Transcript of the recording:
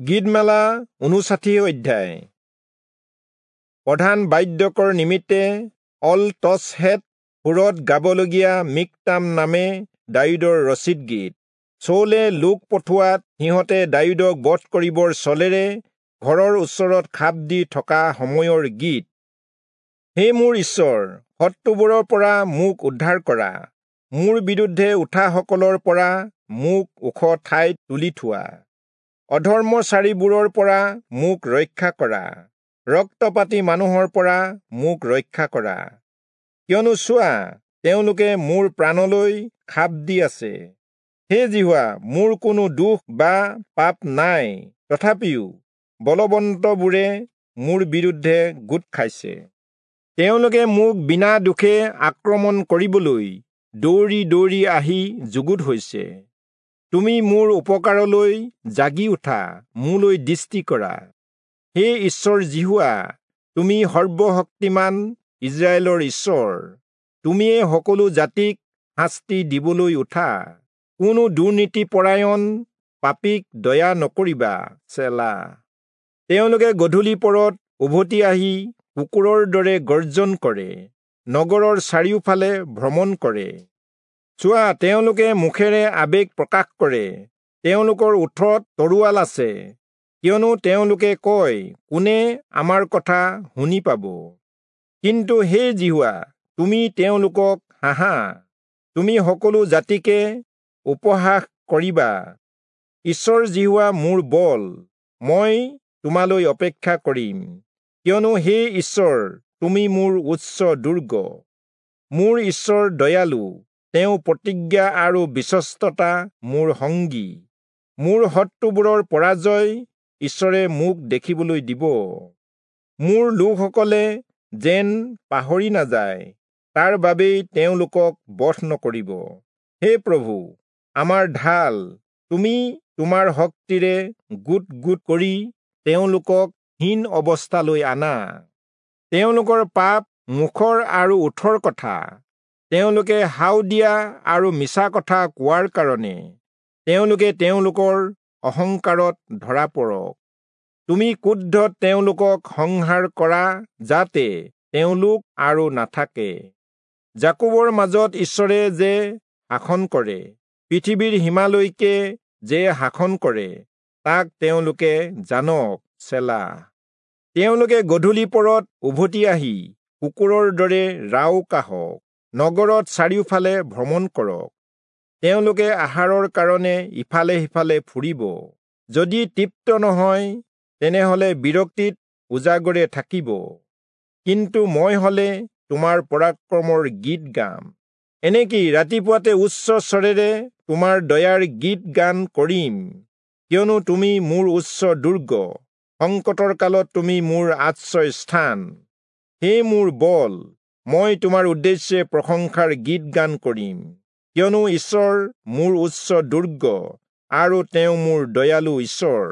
গীতমালা ৫৯ অধ্যায়। প্ৰধান বাদ্যকৰ নিমিত্তে অল তচহেত সুৰত গাবলগীয়া মিকতাম নামে দায়ূদৰ ৰচিত গীত। চৌলে লোক পঠোৱাত সিহঁতে দায়ূদক বধ কৰিবৰ চলেৰে ঘৰৰ ওচৰত খাপ দি থকা সময়ৰ গীত। হে মোৰ ঈশ্বৰ, শত্ৰুবোৰৰ পৰা মোক উদ্ধাৰ কৰা, মোৰ বিৰুদ্ধে উঠাসকলৰ পৰা মোক ওখ ঠাইত তুলি থোৱা। অধৰ্মচাৰীবোৰৰ পৰা মোক ৰক্ষা কৰা, ৰক্তপাতী মানুহৰ পৰা মোক ৰক্ষা কৰা। কিয়নো চোৱা, তেওঁলোকে মোৰ প্ৰাণলৈ খাপ দি আছে। হে যিহোৱা, মোৰ কোনো দোষ বা পাপ নাই, তথাপিও বলৱন্তবোৰে মোৰ বিৰুদ্ধে গোট খাইছে। তেওঁলোকে মোক বিনা দোষে আক্ৰমণ কৰিবলৈ দৌৰি দৌৰি আহি যুগুত হৈছে। তুমি মোৰ উপকাৰলৈ জাগি উঠা, মোলৈ দৃষ্টি কৰা। হে ঈশ্বৰ যিহোৱা, তুমি সৰ্বশক্তিমান ইস্ৰায়েলৰ ঈশ্বৰ, তুমিয়ে সকলো জাতিক শাস্তি দিবলৈ উঠা। কোনো দুৰ্নীতিপৰায়ণ পাপীক দয়া নকৰিবা। চেলা। তেওঁলোকে গধূলি পৰত উভতি আহি কুকুৰৰ দৰে গৰ্জন কৰে, নগৰৰ চাৰিওফালে ভ্ৰমণ কৰে। চোৱা, তেওঁলোকে মুখেৰে আৱেগ প্ৰকাশ কৰে, তেওঁলোকৰ ওঠত তৰোৱাল আছে। কিয়নো তেওঁলোকে কয়, কোনে আমাৰ কথা শুনি পাব? কিন্তু হে যিহোৱা, তুমি তেওঁলোকক হাঁহা, তুমি সকলো জাতিকে উপহাস কৰিবা। ঈশ্বৰ যিহোৱা মোৰ বল, মই তোমালৈ অপেক্ষা কৰিম। কিয়নো হে ঈশ্বৰ, তুমি মোৰ উচ্চ দুৰ্গ। মোৰ ঈশ্বৰ দয়ালু, তেওঁ প্ৰতিজ্ঞা আৰু বিশ্বস্ততা মোৰ সংগী। মোৰ শত্ৰুবোৰৰ পৰাজয় ঈশ্বৰে মোক দেখিবলৈ দিব। মোৰ লোকসকলে যেন পাহৰি নাযায়, তাৰ বাবেই তেওঁলোকক বধ নকৰিব। হে প্ৰভু, আমাৰ ঢাল, তুমি তোমাৰ শক্তিৰে গোট গোট কৰি তেওঁলোকক হীন অৱস্থালৈ আনা। তেওঁলোকৰ পাপ মুখৰ আৰু ওঠৰ কথা, তেওঁলোকে হাও দিয়া আৰু মিছা কথা কোৱাৰ কাৰণে তেওঁলোকে তেওঁলোকৰ অহংকাৰত ধৰা পৰক। তুমি ক্ৰোধত তেওঁলোকক সংহাৰ কৰা, যাতে তেওঁলোক আৰু নাথাকে। যাকোবৰ মাজত ঈশ্বৰে যে শাসন কৰে, পৃথিৱীৰ সীমালৈকে যে শাসন কৰে, তাক তেওঁলোকে জানক। চেলা। তেওঁলোকে গধূলি পৰত উভতি আহি কুকুৰৰ দৰে ৰাও কাঢ়ক, নগৰত চাৰিওফালে ভ্ৰমণ কৰক। তেওঁলোকে আহাৰৰ কাৰণে ইফালে সিফালে ফুৰিব, যদি তৃপ্ত নহয় তেনেহলে বিৰক্তিত উজাগৰে থাকিব। কিন্তু মই হলে তোমাৰ পৰাক্ৰমৰ গীত গাম, এনেকি ৰাতিপুৱাতে উচ্চ স্বৰেৰে তোমাৰ দয়াৰ গীত গান কৰিম। কিয়নো তুমি মোৰ উচ্চ দুৰ্গ, সংকটৰ কালত তুমি মোৰ আশ্ৰয় স্থান। হে মোৰ বল, মই তোমাৰ উদ্দেশ্যে প্ৰশংসাৰ গীত গান কৰিম। কিয়নো ঈশ্বৰ মোৰ উচ্চ দুৰ্গ, আৰু তেওঁ মোৰ দয়ালু ঈশ্বৰ।